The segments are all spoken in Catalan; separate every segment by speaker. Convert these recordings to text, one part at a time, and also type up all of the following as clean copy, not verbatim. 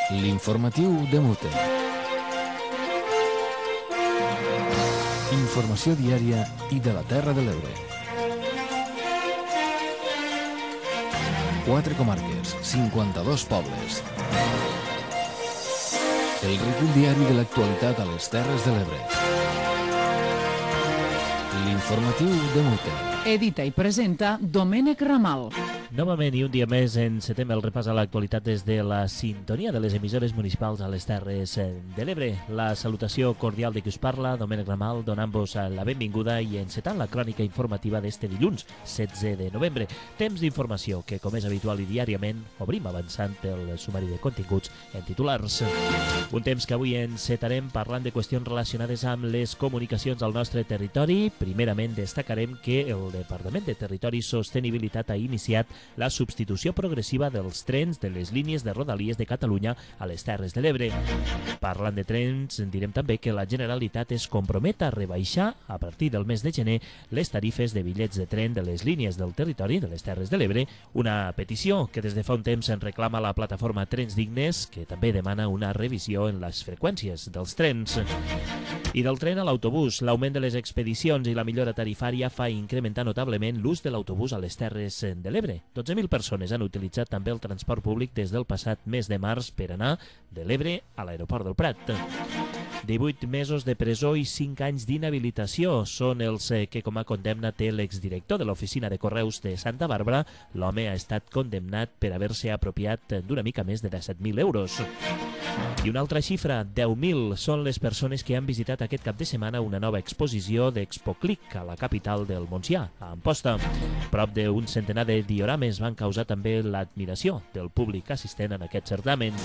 Speaker 1: L'informatiu de Mute. Informació diària i de la Terra de l'Ebre. 4 comarques, 52 pobles. El recull diari de l'actualitat a les Terres de l'Ebre. L'informatiu de Mute.
Speaker 2: Edita i presenta Domènec Ramal.
Speaker 3: Novament i un dia més encetem el repàs a l'actualitat des de la sintonia de les emissores municipals a les Terres de l'Ebre. La salutació cordial de qui us parla, Domènec Ramal, donant-vos la benvinguda i encetant la crònica informativa d'este dilluns, 16 de novembre. Temps d'informació que, com és habitual i diàriament, obrim avançant el sumari de continguts en titulars. Un temps que avui encetarem parlant de qüestions relacionades amb les comunicacions al nostre territori. Primerament destacarem que el Departament de Territori i Sostenibilitat ha iniciat la substitució progressiva dels trens de les línies de Rodalies de Catalunya a les Terres de l'Ebre. Parlant de trens, direm també que la Generalitat es compromet a rebaixar a partir del mes de gener les tarifes de bitllets de tren de les línies del territori de les Terres de l'Ebre, una petició que des de fa un temps en reclama la plataforma Trens Dignes, que també demana una revisió en les freqüències dels trens. I del tren a l'autobús, l'augment de les expedicions i la millora tarifària fa incrementar notablement l'ús de l'autobús a les Terres de l'Ebre. 12.000 persones han utilitzat també el transport públic des del passat mes de març per anar de l'Ebre a l'aeroport del Prat. 18 mesos de presó i 5 anys d'inhabilitació són els que com a condemna té l'exdirector de l'oficina de correus de Santa Bàrbara. L'home ha estat condemnat per haver-se apropiat d'una mica més de 17.000 euros. I una altra xifra, 10.000 són les persones que han visitat aquest cap de setmana una nova exposició d'ExpoClick a la capital del Montsià, a Amposta. Prop d'un centenar de diorames van causar també l'admiració del públic assistent en aquest certamen.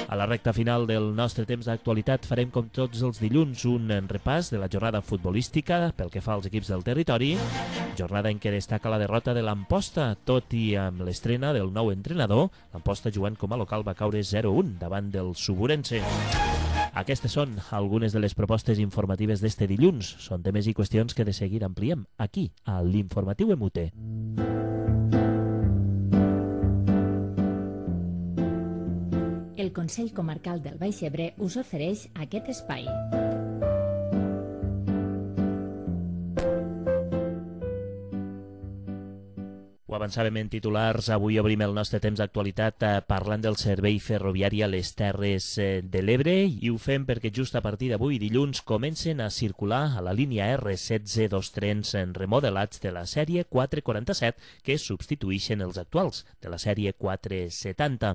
Speaker 3: A la recta final del nostre temps d'actualitat farem com tots els dilluns un repàs de la jornada futbolística pel que fa als equips del territori, jornada en què destaca la derrota de l'Amposta, tot i amb l'estrena del nou entrenador. L'Amposta jugant com a local va caure 0-1 davant del Suburense. Aquestes són algunes de les propostes informatives d'este dilluns. Són temes i qüestions que de seguir ampliem aquí, a l'Informatiu Emute.
Speaker 4: El Consell Comarcal del Baix Ebre us ofereix aquest espai.
Speaker 3: Ho avançàvem en titulars, avui obrim el nostre temps d'actualitat parlant del servei ferroviari a les Terres de l'Ebre i ho fem perquè just a partir d'avui dilluns comencen a circular a la línia R16 dos trens remodelats de la sèrie 447 que substitueixen els actuals de la sèrie 470.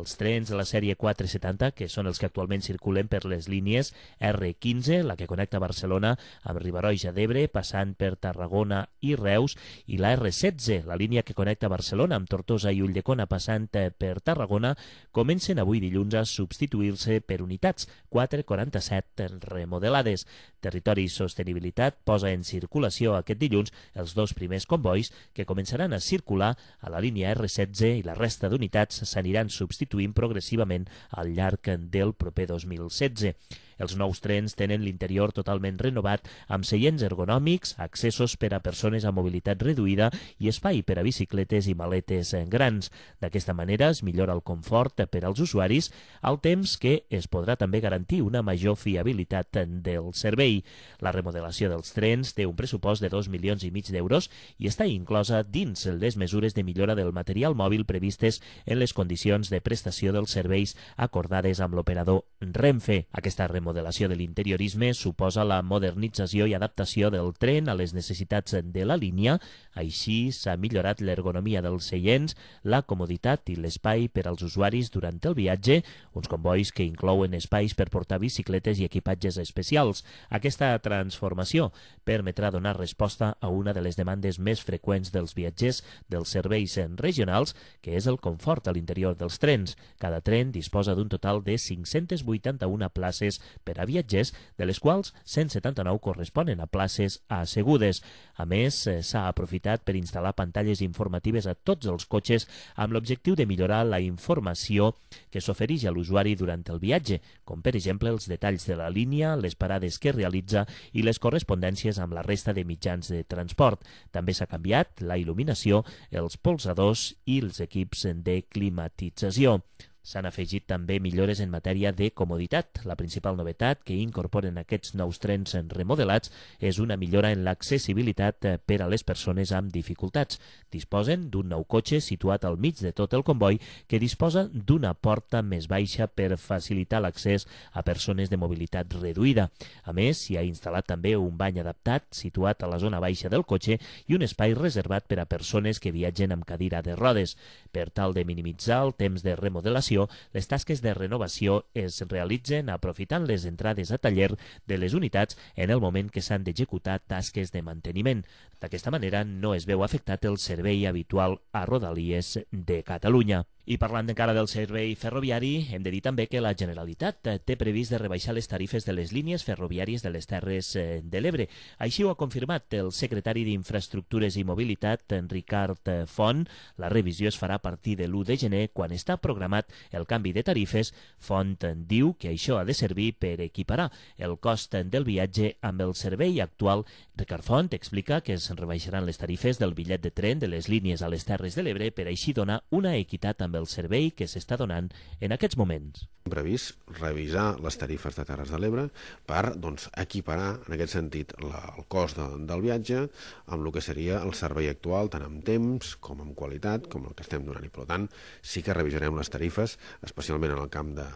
Speaker 3: Els trens de la sèrie 470, que són els que actualment circulen per les línies R15, la que connecta Barcelona amb Riba-roja d'Ebre, passant per Tarragona i Reus, i la R16, la línia que connecta Barcelona amb Tortosa i Ulldecona passant per Tarragona, comencen avui dilluns a substituir-se per unitats 447 remodelades. Territori i Sostenibilitat posa en circulació aquest dilluns els dos primers convois que començaran a circular a la línia R16 i la resta d'unitats s'aniran substituint progressivament al llarg del proper 2016. Els nous trens tenen l'interior totalment renovat amb seients ergonòmics, accessos per a persones amb mobilitat reduïda i espai per a bicicletes i maletes grans. D'aquesta manera es millora el confort per als usuaris, al temps que es podrà també garantir una major fiabilitat del servei. La remodelació dels trens té un pressupost de 2,5 milions d'euros i està inclosa dins les mesures de millora del material mòbil previstes en les condicions de prestació dels serveis acordades amb l'operador Renfe. Aquesta remodelació de l'interiorisme suposa la modernització i adaptació del tren a les necessitats de la línia. Així s'ha millorat l'ergonomia dels seients, la comoditat i l'espai per als usuaris durant el viatge, uns convois que inclouen espais per portar bicicletes i equipatges especials. Aquesta transformació permetrà donar resposta a una de les demandes més freqüents dels viatgers dels serveis regionals, que és el confort a l'interior dels trens. Cada tren disposa d'un total de 581 places per a viatgers, de les quals 179 corresponen a places assegudes. A més, s'ha aprofitat per instal·lar pantalles informatives a tots els cotxes amb l'objectiu de millorar la informació que s'ofereix a l'usuari durant el viatge, com per exemple els detalls de la línia, les parades que realitza i les correspondències amb la resta de mitjans de transport. També s'ha canviat la il·luminació, els polsadors i els equips de climatització. S'han afegit també millores en matèria de comoditat. La principal novetat que incorporen aquests nous trens remodelats és una millora en l'accessibilitat per a les persones amb dificultats. Disposen d'un nou cotxe situat al mig de tot el comboi que disposa d'una porta més baixa per facilitar l'accés a persones de mobilitat reduïda. A més, s'hi ha instal·lat també un bany adaptat situat a la zona baixa del cotxe i un espai reservat per a persones que viatgen amb cadira de rodes. Per tal de minimitzar el temps de remodelació, les tasques de renovació es realitzen aprofitant les entrades a taller de les unitats en el moment que s'han d'executar tasques de manteniment. D'aquesta manera no es veu afectat el servei habitual a Rodalies de Catalunya. I parlant encara del servei ferroviari, hem de dir també que la Generalitat té previst de rebaixar les tarifes de les línies ferroviàries de les Terres de l'Ebre. Així ho ha confirmat el secretari d'Infraestructures i Mobilitat, Ricard Font. La revisió es farà a partir de l'1 de gener, quan està programat el canvi de tarifes. Font diu que això ha de servir per equiparar el cost del viatge amb el servei actual. Ricard Font explica que es rebaixaran les tarifes del bitllet de tren de les línies a les Terres de l'Ebre per així donar una equitat amb el servei que s'està donant en aquests moments.
Speaker 5: Hem previst revisar les tarifes de Terres de l'Ebre per equiparar, en aquest sentit, el cost del viatge amb el que seria el servei actual, tant en temps com en qualitat, com el que estem donant. I, per tant, sí que revisarem les tarifes, especialment en el camp de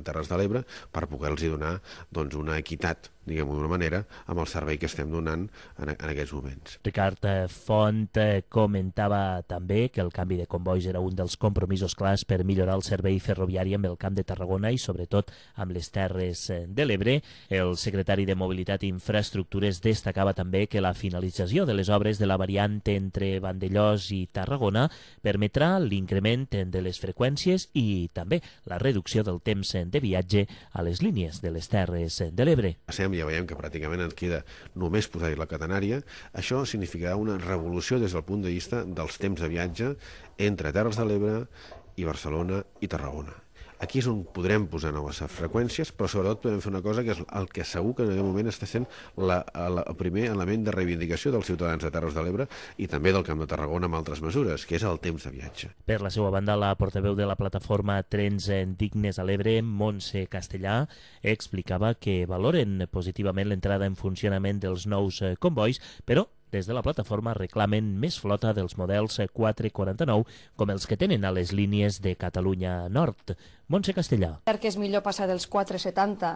Speaker 5: Terres de l'Ebre, per poder-los donar una equitat, diguem-ho d'una manera, amb el servei que estem donant en aquests moments.
Speaker 3: Ricard Font comentava també que el canvi de combois era un dels compromisos clars per millorar el servei ferroviari amb el Camp de Tarragona i sobretot amb les Terres de l'Ebre. El secretari de Mobilitat i Infraestructures destacava també que la finalització de les obres de la variant entre Vandellòs i Tarragona permetrà l'increment de les freqüències i també la reducció del temps de viatge a les línies de les Terres de l'Ebre.
Speaker 5: Ja veiem que pràcticament ens queda només posar-hi la catenària. Això significarà una revolució des del punt de vista dels temps de viatge entre Terres de l'Ebre i Barcelona i Tarragona. Aquí és on podrem posar noves freqüències, però sobretot podem fer una cosa que és el que segur que en aquest moment està sent el primer element de reivindicació dels ciutadans de Terres de l'Ebre i també del Camp de Tarragona amb altres mesures, que és el temps de viatge.
Speaker 3: Per la seva banda, la portaveu de la plataforma Trens Dignes a l'Ebre, Montse Castellà, explicava que valoren positivament l'entrada en funcionament dels nous combois, però des de la plataforma reclamen més flota dels models 449 com els que tenen a les línies de Catalunya Nord. Montse Castellà.
Speaker 6: Que és millor passar dels 470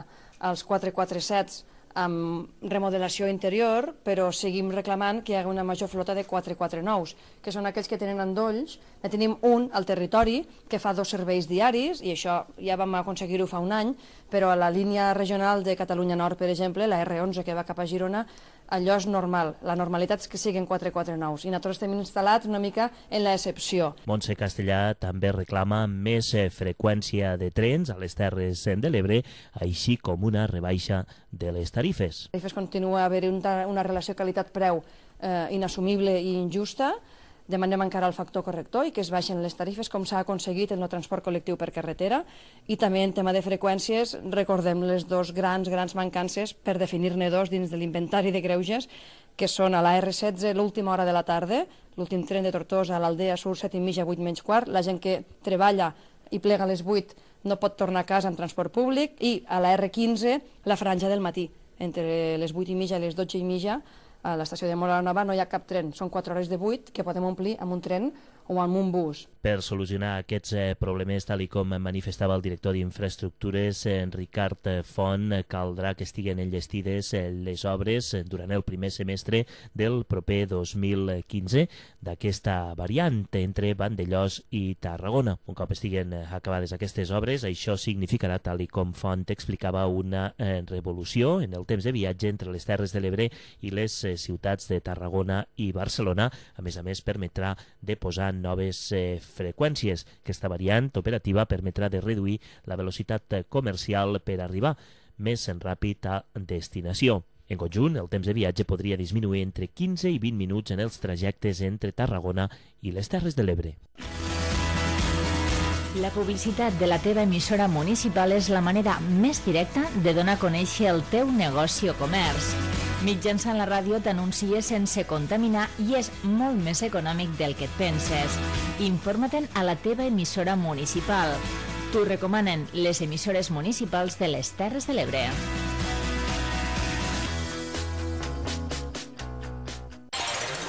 Speaker 6: als 447 amb remodelació interior, però seguim reclamant que hi hagi una major flota de 449s, que són aquells que tenen endolls. Ne tenim un al territori que fa 2 serveis diaris, i això ja vam aconseguir-ho fa un any, però a la línia regional de Catalunya Nord, per exemple, la R11 que va cap a Girona, allò és normal. La normalitat és que siguin 449s, i nosaltres estem instal·lats una mica en l'excepció.
Speaker 3: Montse Castellà també reclama més freqüència de trens a les Terres de l'Ebre, així com una rebaixa de les tarifes.
Speaker 6: Continua a haver una relació qualitat-preu inassumible i injusta. Demanem encara el factor corrector i que es baixen les tarifes, com s'ha aconseguit en el transport col·lectiu per carretera. I també en tema de freqüències recordem les dues grans mancances, per definir-ne dos dins de l'inventari de greuges, que són a la R16 l'última hora de la tarda, l'últim tren de Tortosa a l'Aldea surt 7:30, 8:15, la gent que treballa i plega a les 8 no pot tornar a casa en transport públic, i a la R15 la franja del matí, entre les 8:30 i les 12:30, a l'estació de Móra la Nova no hi ha cap tren, són 4 hores de 8 que podem omplir amb un tren o amb un bus.
Speaker 3: Per solucionar aquests problemes, tal com manifestava el director d'Infraestructures, Ricard Font, caldrà que estiguen enllestides les obres durant el primer semestre del proper 2015 d'aquesta variant entre Vandellòs i Tarragona. Un cop estiguen acabades aquestes obres, això significarà, tal com Font explicava, una revolució en el temps de viatge entre les Terres de l'Ebre i les ciutats de Tarragona i Barcelona. A més, permetrà de posar noves freqüències. Aquesta variant operativa permetrà de reduir la velocitat comercial per arribar més ràpid a destinació. En conjunt, el temps de viatge podria disminuir entre 15 i 20 minuts en els trajectes entre Tarragona i les Terres de l'Ebre.
Speaker 4: La publicitat de la teva emissora municipal és la manera més directa de donar a conèixer el teu negoci o comerç. Mitjançant la ràdio t'anuncies sense contaminar i és molt més econòmic del que et penses. Informa-te'n a la teva emissora municipal. T'ho recomanen les emissores municipals de les Terres de l'Ebre.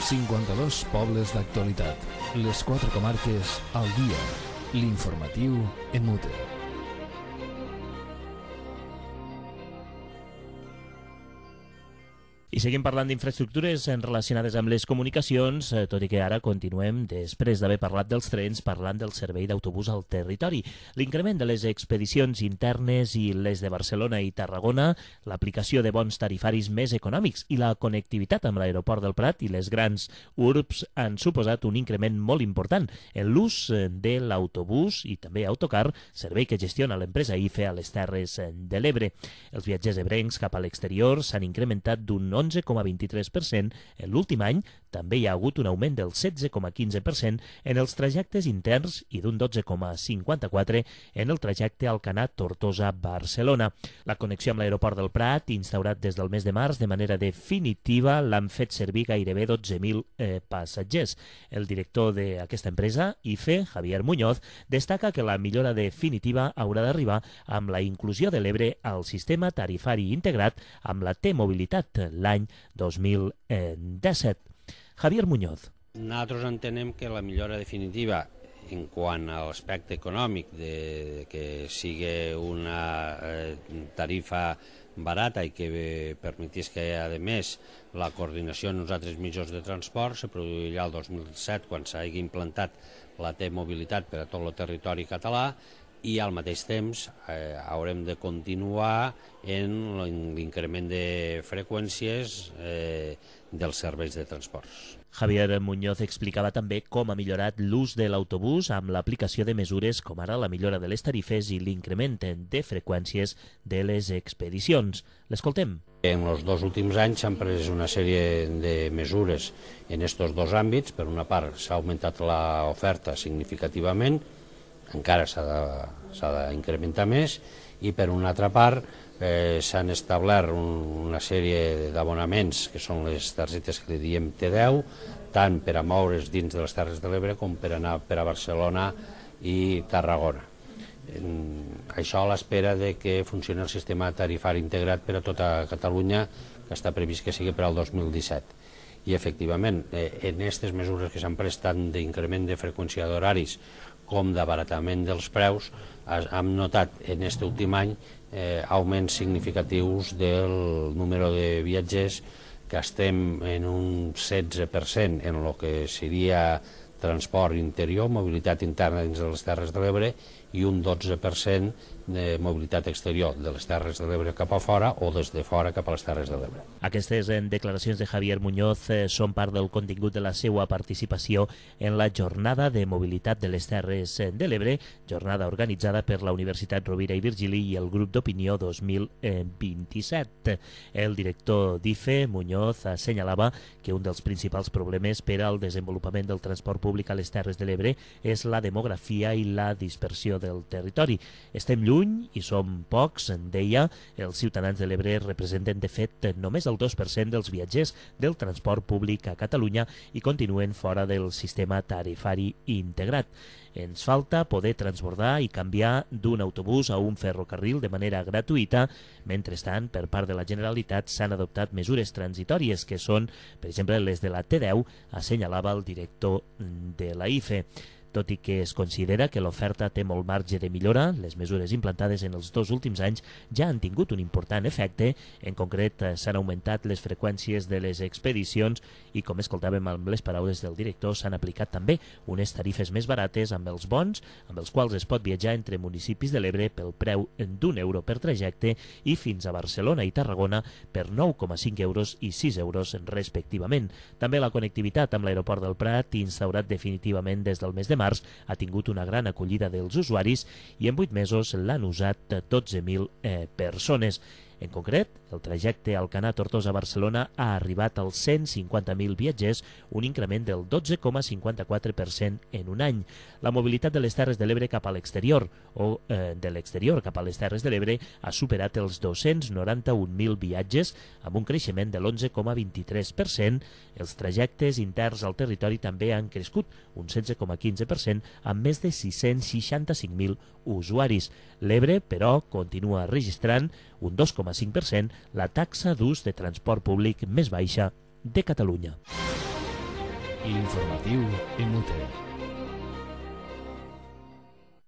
Speaker 1: ...52 pobles d'actualitat. Les 4 comarques al dia. L'informatiu en Mute.
Speaker 3: I seguim parlant d'infraestructures relacionades amb les comunicacions, tot i que ara continuem, després d'haver parlat dels trens, parlant del servei d'autobús al territori. L'increment de les expedicions internes i les de Barcelona i Tarragona, l'aplicació de bons tarifaris més econòmics i la connectivitat amb l'aeroport del Prat i les grans urbs han suposat un increment molt important en l'ús de l'autobús i també autocar, servei que gestiona l'empresa IFE a les Terres de l'Ebre. Els viatgers ebrencs cap a l'exterior s'han incrementat d'un 11,23% en l'últim any. També hi ha hagut un augment del 16,15% en els trajectes interns i d'un 12,54% en el trajecte Alcanar-Tortosa-Barcelona. La connexió amb l'aeroport del Prat, instaurat des del mes de març de manera definitiva, l'han fet servir gairebé 12.000 passatgers. El director d'aquesta empresa, IFE, Javier Muñoz, destaca que la millora definitiva haurà d'arribar amb la inclusió de l'Ebre al sistema tarifari integrat amb la T-Mobilitat l'any 2017. Javier Muñoz.
Speaker 7: Nosaltres entenem que la millora definitiva en quant a l'aspecte econòmic de que sigui una tarifa barata i que permetís que, a més, la coordinació en els altres mitjans de transport se produirà el 2007 quan s'hagi implantat la T-Mobilitat per a tot el territori català, i al mateix temps haurem de continuar en l'increment de freqüències dels serveis de transports.
Speaker 3: Javier Muñoz explicava també com ha millorat l'ús de l'autobús amb l'aplicació de mesures com ara la millora de les tarifes i l'increment de freqüències de les expedicions. L'escoltem.
Speaker 7: En els 2 últims anys s'han pres una sèrie de mesures en aquests 2 àmbits. Per una part s'ha augmentat l'oferta significativament, encara s'ha d'incrementar més, i per una altra part s'han establert una sèrie d'abonaments que són les targetes que li diem T10, tant per a moure's dins de les Terres de l'Ebre com per anar per a Barcelona i Tarragona. Això a l'espera de que funcioni el sistema tarifari integrat per a tota Catalunya, que està previst que sigui per al 2017. I efectivament, en aquestes mesures que s'han pres tant d'increment de freqüència d'horaris com d'abaratament dels preus, hem notat en aquest últim any augments significatius del número de viatgers, que estem en un 16% en el que seria transport interior, mobilitat interna dins de les Terres de l'Ebre, i un 12% de mobilitat exterior de les Terres de l'Ebre cap a fora o des de fora cap a les Terres de l'Ebre.
Speaker 3: Aquestes declaracions de Javier Muñoz són part del contingut de la seva participació en la Jornada de Mobilitat de les Terres de l'Ebre, jornada organitzada per la Universitat Rovira i Virgili i el Grup d'Opinió 2027. El director d'IFE, Muñoz, assenyalava que un dels principals problemes per al desenvolupament del transport públic a les Terres de l'Ebre és la demografia i la dispersió del territori. Estem lluny i som pocs, deia. Els ciutadans de l'Ebre representen, de fet, només el 2% dels viatgers del transport públic a Catalunya i continuen fora del sistema tarifari integrat. Ens falta poder transbordar i canviar d'un autobús a un ferrocarril de manera gratuïta. Mentrestant, per part de la Generalitat s'han adoptat mesures transitòries que són, per exemple, les de la T10, assenyalava el director de la IFE. Tot i que es considera que l'oferta té molt marge de millora, les mesures implantades en els 2 últims anys ja han tingut un important efecte. En concret, s'han augmentat les freqüències de les expedicions i, com escoltàvem amb les paraules del director, s'han aplicat també unes tarifes més barates amb els bons, amb els quals es pot viatjar entre municipis de l'Ebre pel preu d'€1 per trajecte i fins a Barcelona i Tarragona per 9,5 euros i 6 euros respectivament. També la connectivitat amb l'aeroport del Prat, instaurat definitivament des del mes de març, ha tingut una gran acollida dels usuaris i en 8 mesos l'han usat 12.000 persones. En concret, el trajecte Alcanar-Tortosa-Barcelona ha arribat als 150.000 viatgers, un increment del 12,54% en un any. La mobilitat de les Terres de l'Ebre cap a l'exterior o de l'exterior cap a les Terres de l'Ebre ha superat els 291.000 viatges, amb un creixement de l'11,23%. Els trajectes interns al territori també han crescut, un 16,15%, amb més de 665.000 usuaris. L'Ebre, però, continua registrant un 2,5%, la taxa d'ús de transport públic més baixa de Catalunya.
Speaker 1: L'informatiu MUT.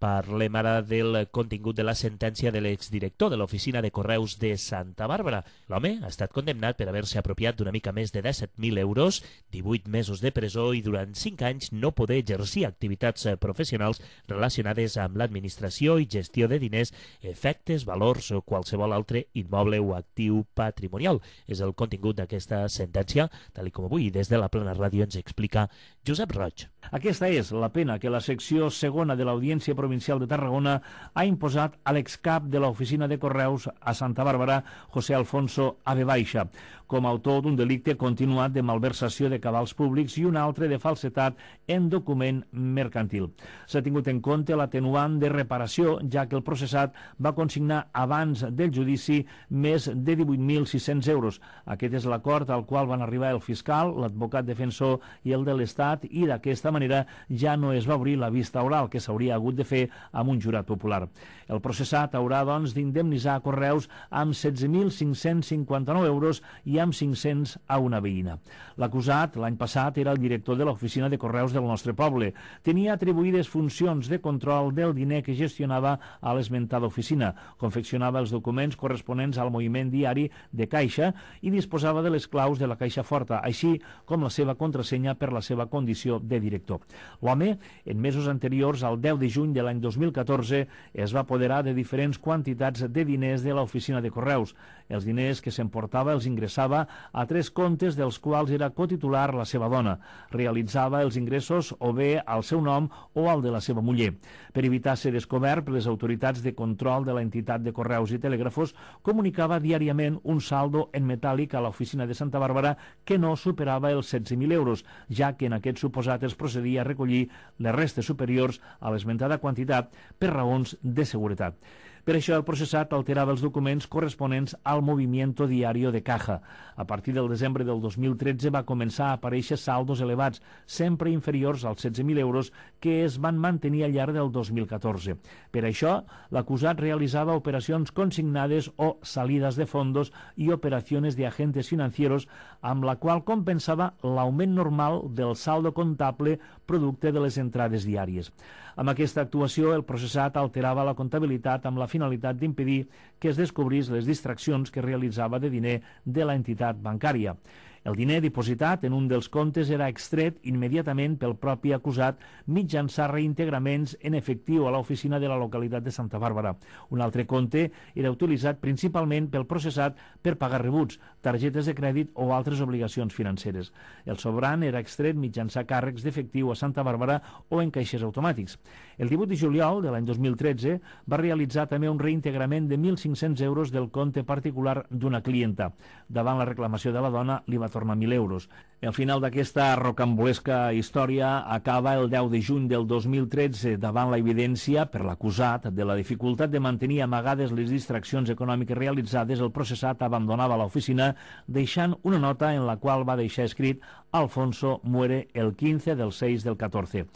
Speaker 3: Parlem ara del contingut de la sentència de l'exdirector de l'Oficina de Correus de Santa Bàrbara. L'home ha estat condemnat per haver-se apropiat d'una mica més de 17.000 euros, 18 mesos de presó i durant 5 anys no poder exercir activitats professionals relacionades amb l'administració i gestió de diners, efectes, valors o qualsevol altre immoble o actiu patrimonial. És el contingut d'aquesta sentència, tal com avui des de la Plana Ràdio ens explica Josep Roig.
Speaker 8: Aquesta és la pena que la secció segona de l'Audiència Provincial de Tarragona ha imposat a l'excap de l'Oficina de Correus a Santa Bàrbara, José Alfonso Ave Baixa, com a autor d'un delicte continuat de malversació de cabals públics i un altre de falsetat en document mercantil. S'ha tingut en compte l'atenuant de reparació, ja que el processat va consignar abans del judici més de 18.600 euros. Aquest és l'acord al qual van arribar el fiscal, l'advocat defensor i el de l'Estat, i d'aquesta manera ja no es va obrir la vista oral que s'hauria hagut de fer amb un jurat popular. El processat haurà, doncs, d'indemnitzar Correus amb 16.559 euros i amb 500 a una veïna. L'acusat, l'any passat, era el director de l'Oficina de Correus del nostre poble. Tenia atribuïdes funcions de control del diner que gestionava a l'esmentada oficina, confeccionava els documents corresponents al moviment diari de caixa i disposava de les claus de la caixa forta, així com la seva contrasenya per la seva condició de director. L'home, en mesos anteriors, al 10 de juny de l'any 2014, es va apoderar de diferents quantitats de diners de l'Oficina de Correus. Els diners que s'emportava els ingressava a 3 comptes dels quals era cotitular la seva dona. Realitzava els ingressos o bé al seu nom o al de la seva muller. Per evitar ser descobert per les autoritats de control de l'entitat de Correus i Telègrafos, comunicava diàriament un saldo en metàl·lic a l'Oficina de Santa Bàrbara que no superava els 16.000 euros, ja que en aquest suposat es procedia a recollir les restes superiors a l'esmentada quantitat per raons de seguretat. Per això el processat alterava els documents corresponents al movimiento diario de caja. A partir del desembre del 2013 va començar a aparèixer saldos elevats, sempre inferiors als 16.000 euros, que es van mantenir al llarg del 2014. Per això, l'acusat realitzava operacions consignades o salidas de fondos i operacions de agentes financieros, amb la qual compensava l'augment normal del saldo comptable producte de les entrades diàries. Amb aquesta actuació, el processat alterava la comptabilitat amb la finalitat d'impedir que es descobrís les distraccions que realitzava de diner de l'entitat bancària. El diner dipositat en un dels comptes era extret immediatament pel propi acusat mitjançant reintegraments en efectiu a l'oficina de la localitat de Santa Bàrbara. Un altre compte era utilitzat principalment pel processat per pagar rebuts, targetes de crèdit o altres obligacions financeres. El sobrant era extret mitjançant càrrecs d'efectiu a Santa Bàrbara o en caixers automàtics. El 18 de juliol de l'any 2013 va realitzar també un reintegrament de 1.500 euros del compte particular d'una clienta. Davant la reclamació de la dona, li va tornar 1.000 euros. El final d'aquesta rocambolesca història acaba el 10 de juny del 2013 davant la evidència, per l'acusat, de la dificultat de mantenir amagades les distraccions econòmiques realitzades. El processat abandonava l'oficina deixant una nota en la qual va deixar escrit Alfonso muere el 15 del 6 del 14.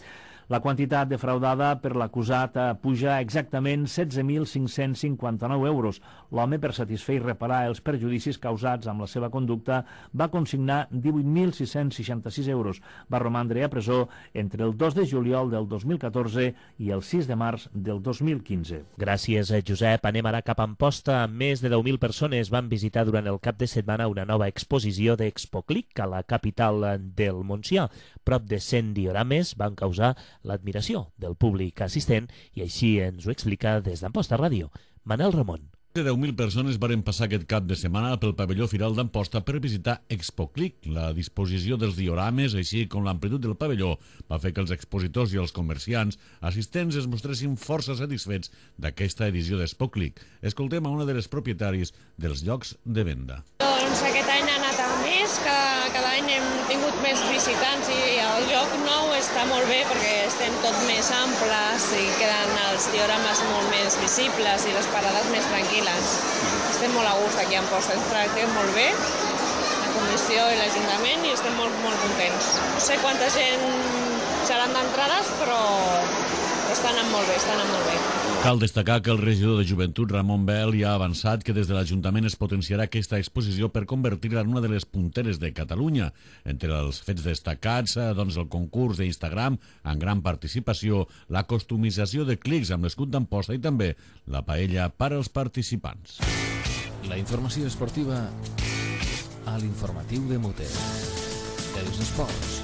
Speaker 8: La quantitat defraudada per l'acusat puja exactament 16.559 euros. L'home, per satisfer i reparar els perjudicis causats amb la seva conducta, va consignar 18.666 euros. Va romandre a presó entre el 2 de juliol del 2014 i el 6 de març del 2015.
Speaker 3: Gràcies, Josep. Anem ara cap a Amposta. Més de 10.000 persones van visitar durant el cap de setmana una nova exposició d'Expoclic a la capital del Montsià. Prop de 100 diorames van causar l'admiració del públic assistent i així ens ho explica des d'Amposta Ràdio Manel Ramon.
Speaker 9: De 10.000 persones varen passar aquest cap de setmana pel pavelló Firal d'Amposta per visitar ExpoClick. La disposició dels diorames, així com l'amplitud del pavelló, va fer que els expositors i els comerciants assistents es mostressin força satisfets d'aquesta edició d'ExpoClick. Escoltem a una de les propietaris dels llocs de venda.
Speaker 10: Doncs aquest any ha anat a més, cada any hem tingut més visitants i el lloc nou està molt bé perquè estem tot més amples i queden els diorames molt més visibles i les parades més tranquil·les. Estem molt a gust aquí a Amposta, ens tractem molt bé, la comissió i l'Ajuntament, i estem molt contents. No sé quanta gent seran d'entrades, però està anant molt bé.
Speaker 9: Cal destacar que el regidor de Joventut, Ramon Bel, ja ha avançat que des de l'Ajuntament es potenciarà aquesta exposició per convertir-la en una de les punteres de Catalunya. Entre els fets destacats, doncs el concurs d'Instagram, amb gran participació, la customització de clics amb l'escut d'Amposta i també la paella per als participants.
Speaker 1: La informació esportiva a l'informatiu de Mote. Els esports.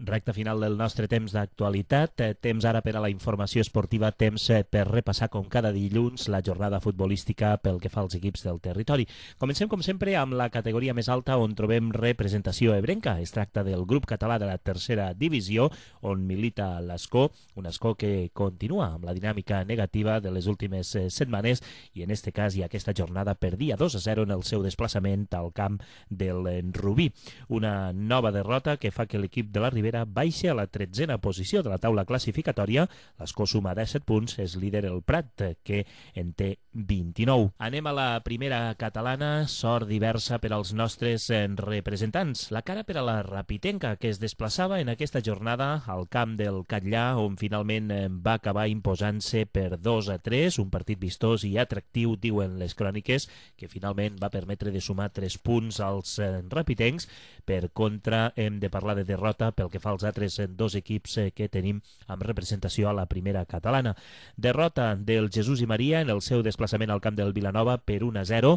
Speaker 3: Recte final del nostre temps d'actualitat, temps ara per a la informació esportiva, temps per repassar com cada dilluns la jornada futbolística pel que fa als equips del territori. Comencem com sempre amb la categoria més alta on trobem representació ebrenca. Es tracta del grup català de la tercera divisió on milita l'Escó, un Escó que continua amb la dinàmica negativa de les últimes setmanes i en este cas i aquesta jornada perdia 2-0 en el seu desplaçament al camp del Rubí. Una nova derrota que fa que l'equip de la Ribera baixa a la 13a posició de la taula classificatòria. L'Escó suma 17 punts, és líder el Prat, que en té 29. Anem a la primera catalana, sort diversa per als nostres representants. La cara per a la Rapitenca, que es desplaçava en aquesta jornada al camp del Catllà, on finalment va acabar imposant-se per 2-3, un partit vistós i atractiu, diuen les cròniques, que finalment va permetre de sumar 3 punts als rapitencs. Per contra, hem de parlar de derrota pel que fa als altres dos equips que tenim amb representació a la primera catalana. Derrota del Jesús i Maria en el seu desplaçament al camp del Vilanova per 1-0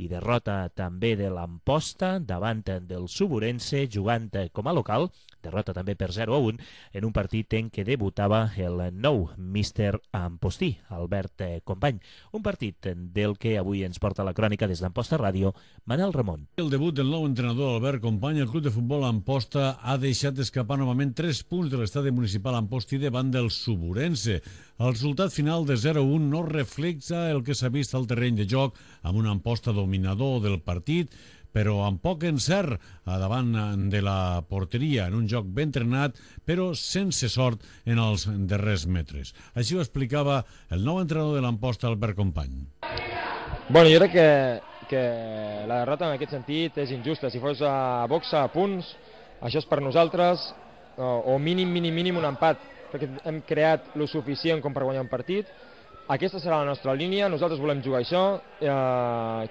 Speaker 3: i derrota també de l'Amposta davant del Suburense jugant com a local, derrota també per 0-1 en un partit en què debutava el nou míster Ampostí, Albert Company. Un partit del que avui ens porta la crònica des d'Amposta Ràdio, Manel Ramon.
Speaker 9: El debut del nou entrenador Albert Company, el club de futbol Amposta ha deixat escapar novament 3 punts de l'estadi municipal Ampostí davant del Suburense. El resultat final de 0-1 no reflexa el que s'ha vist al terreny de joc amb un Amposta dominador del partit, però amb poc encert davant de la porteria, en un joc ben entrenat, però sense sort en els darrers metres. Així ho explicava el nou entrenador de l'Amposta, Albert Company.
Speaker 11: Bueno, jo crec que la derrota en aquest sentit és injusta. Si fos a boxa, a punts, això és per nosaltres, o mínim un empat, perquè hem creat lo suficient com per guanyar un partit. Aquesta serà la nostra línia, nosaltres volem jugar això,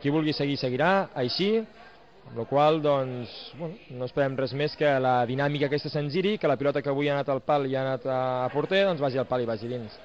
Speaker 11: qui vulgui seguir, seguirà, així, amb la qual doncs, bueno, no esperem res més que la dinàmica aquesta se'n giri, que la pilota que avui ha anat al pal i ha anat a porter, doncs vagi al pal i vagi dins.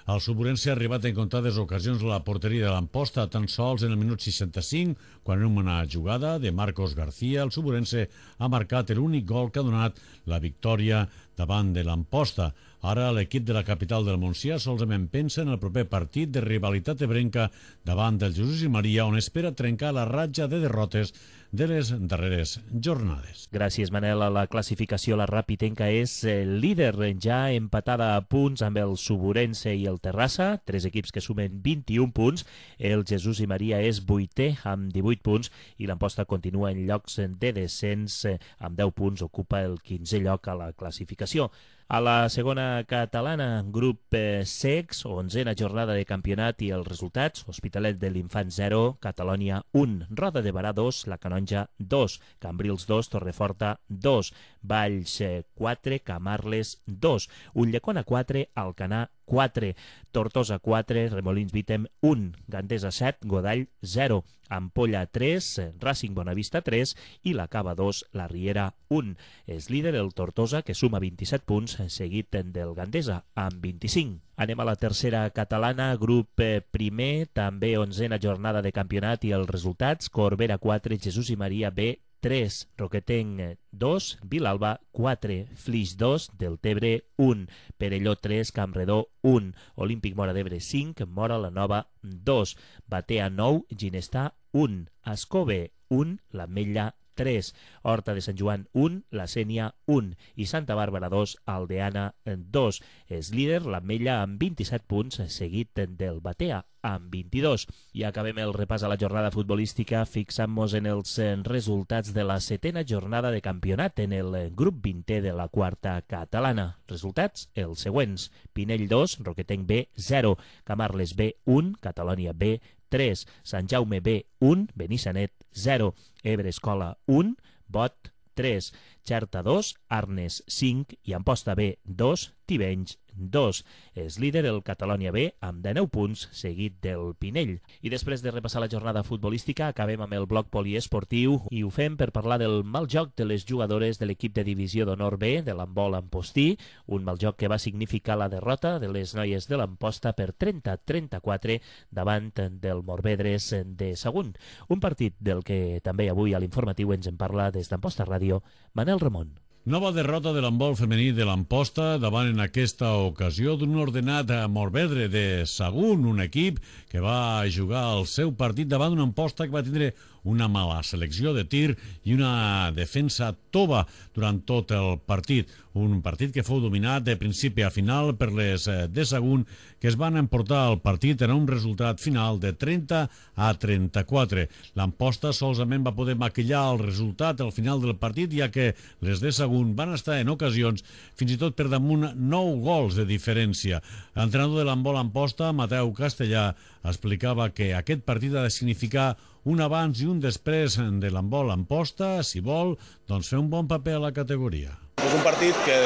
Speaker 9: El Suburense ha arribat en comptades ocasions a la porteria de l'Amposta, tan sols en el minut 65, quan en una jugada de Marcos García, el Suburense ha marcat l'únic gol que ha donat la victòria davant de l'Amposta. Ara l'equip de la capital del Montsià solament pensa en el proper partit de rivalitat ebrenca davant del Jesús i Maria, on espera trencar la ratja de derrotes de les darreres jornades.
Speaker 3: Gràcies, Manel. A la classificació, la Rapitenca és líder, ja empatada a punts amb el Suburense i el Terrassa, 3 equips que sumen 21 punts. El Jesús i Maria és 8è amb 18 punts i l'Amposta continua en llocs de descens amb 10 punts, ocupa el 15è lloc a la classificació. A la segona catalana, grup secs, 11a jornada de campionat i els resultats: Hospitalet de l'Infant 0, Catalònia 1, Roda de Barà 2, La Canonja 2, Cambrils 2, Torreforta 2, Valls 4, Camarles 2, Ulldecona 4, Alcanar 4, Tortosa 4, Remolins Vítem 1, Gandesa 7, Godall 0, Ampolla 3, Racing Bonavista 3 i la Cava 2, la Riera 1. És líder el Tortosa, que suma 27 punts, seguit del Gandesa amb 25. Anem a la tercera catalana, grup primer, també 11a jornada de campionat i els resultats: Corbera 4, Jesús i Maria B 3, Roquetenc 2, Vilalba 4, Flix 2, Deltebre 1, Perelló 3, Campredó 1, Olímpic Móra d'Ebre 5, Móra la Nova 2, Batea 9, Ginestà 1, Ascove 1, l'Ametlla 3, Horta de Sant Joan 1, la Sénia 1 i Santa Bàrbara 2, Aldeana 2. És líder l'Ametlla amb 27 punts, seguit del Batea amb 22. I acabem el repàs a la jornada futbolística fixant-nos en els resultats de la 7a jornada de campionat en el grup 20è de la quarta catalana. Resultats els següents: Pinell 2, Roquetenc B 0, Camarles B 1, Catalònia B 3, Sant Jaume B 1, Benissanet 0, Ebre Escola 1, Bot 3, Xerta 2, Arnes 5 i Amposta B 2, Tivenys 2. És líder el Catalònia B amb 19 punts, seguit del Pinell. I després de repassar la jornada futbolística, acabem amb el bloc poliesportiu i ho fem per parlar del mal joc de les jugadores de l'equip de divisió d'honor B de l'handbol Ampostí, un mal joc que va significar la derrota de les noies de l'Amposta per 30-34 davant del Morvedres de Sagunt. Un partit del que també avui a l'informatiu ens en parla des d'Amposta Ràdio, Manel Ramon.
Speaker 9: Nova derrota de l'handbol femení de l'Amposta davant en aquesta ocasió d'un ordenat Morvedre de Sagunt, un equip que va jugar el seu partit davant d'una Amposta que va tindre una mala selecció de tir i una defensa tova durant tot el partit. Un partit que fou dominat de principi a final per les de Sagunt, que es van emportar el partit en un resultat final de 30-34. L'Amposta solament va poder maquillar el resultat al final del partit, ja que les de Sagunt van estar en ocasions fins i tot per damunt 9 gols de diferència. L'entrenador de l'handbol Amposta, Mateu Castellà, explicava que aquest partit ha de significar un abans i un després de l'handbol Amposta, si vol, doncs fer un bon paper a la categoria.
Speaker 12: És un partit que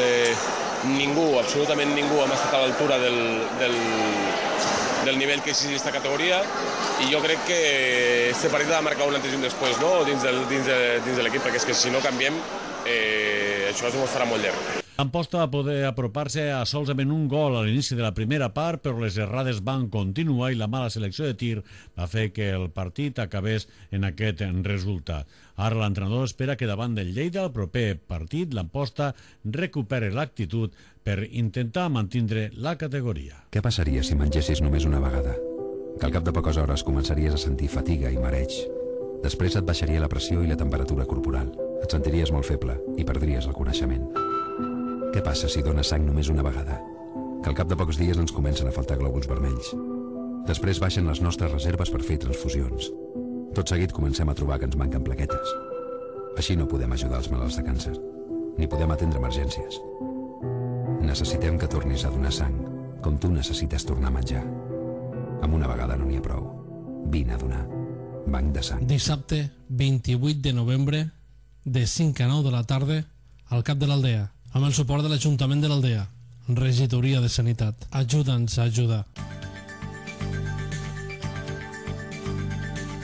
Speaker 12: ningú, absolutament ningú, hem estat a l'altura del nivell que exigeix aquesta categoria i jo crec que este partit ha de marcar un antes i un després, no? dins de l'equip, perquè és que si no canviem, això es farà molt llarg.
Speaker 9: Amposta va poder apropar-se a solament un gol a l'inici de la primera part, però les errades van continuar i la mala selecció de tir va fer que el partit acabés en aquest resultat. Ara l'entrenador espera que davant del Lleida, el proper partit, l'Amposta recuperi l'actitud per intentar mantindre la categoria.
Speaker 13: Què passaria si mengessis només una vegada? Que al cap de poques hores començaries a sentir fatiga i mareig. Després et baixaria la pressió i la temperatura corporal. Et sentiries molt feble i perdries el coneixement. Què passa si dones sang només una vegada? Que al cap de pocs dies ens comencen a faltar glòbuls vermells. Després baixen les nostres reserves per fer transfusions. Tot seguit comencem a trobar que ens manquen plaquetes. Així no podem ajudar els malalts de càncer, ni podem atendre emergències. Necessitem que tornis a donar sang, com tu necessites tornar a menjar. Amb una vegada no n'hi ha prou. Vine a donar. Banc de sang.
Speaker 14: Dissabte 28 de novembre, de 5 a 9 de la tarda, al cap de l'Aldea, amb el suport de l'Ajuntament de l'Aldea, Regidoria de Sanitat. Ajuda'ns a ajudar.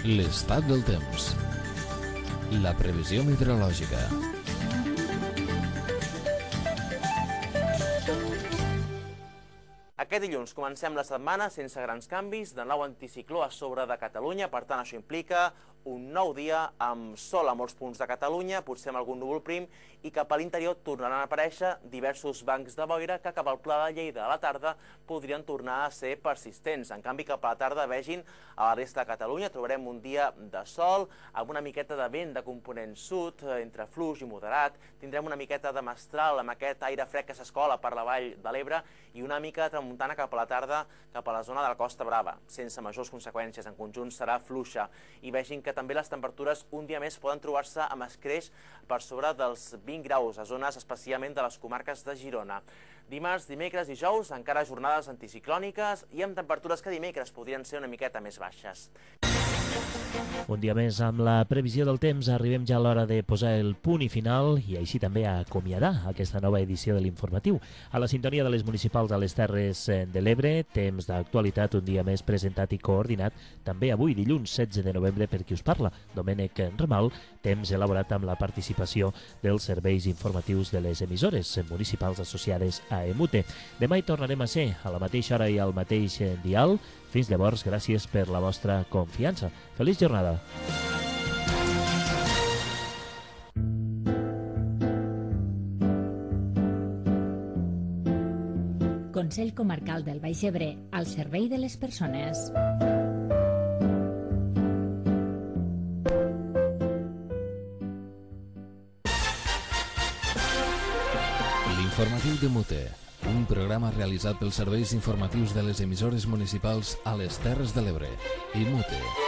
Speaker 1: L'estat del temps. La previsió meteorològica.
Speaker 15: Aquest dilluns comencem la setmana sense grans canvis de nou anticicló a sobre de Catalunya, per tant això implica un nou dia amb sol a molts punts de Catalunya, potser amb algun núvol prim, i cap a l'interior tornaran a aparèixer diversos bancs de boira que cap al Pla de Lleida a la tarda podrien tornar a ser persistents. En canvi, cap a la tarda, vegin, a la resta de Catalunya trobarem un dia de sol, amb una miqueta de vent de component sud, entre fluix i moderat, tindrem una miqueta de mestral amb aquest aire fred que s'escola per la vall de l'Ebre i una mica de tramuntana cap a la tarda cap a la zona de la Costa Brava, sense majors conseqüències. En conjunt serà fluixa i vegin que també les temperatures un dia més poden trobar-se amb escreix per sobre dels 20 graus a zones especialment de les comarques de Girona. Dimarts, dimecres i dijous encara jornades anticiclòniques i amb temperatures que dimecres podrien ser una miqueta més baixes.
Speaker 3: Un dia més amb la previsió del temps arribem ja a l'hora de posar el punt i final i així també a acomiadar aquesta nova edició de l'informatiu. A la sintonia de les municipals a les Terres de l'Ebre, temps d'actualitat un dia més presentat i coordinat, també avui dilluns 16 de novembre per qui us parla, Domènec Ramal, temps elaborat amb la participació dels serveis informatius de les emissores municipals associades a EMUTE. Demà hi tornarem a ser a la mateixa hora i al mateix dial. Fins llavors, gràcies per la vostra confiança. Feliç jornada!
Speaker 4: Consell Comarcal del Baix Ebre, al servei de les persones.
Speaker 1: L'informatiu de Mute, un programa realitzat pels serveis informatius de les emissores municipals a les Terres de l'Ebre i Mute.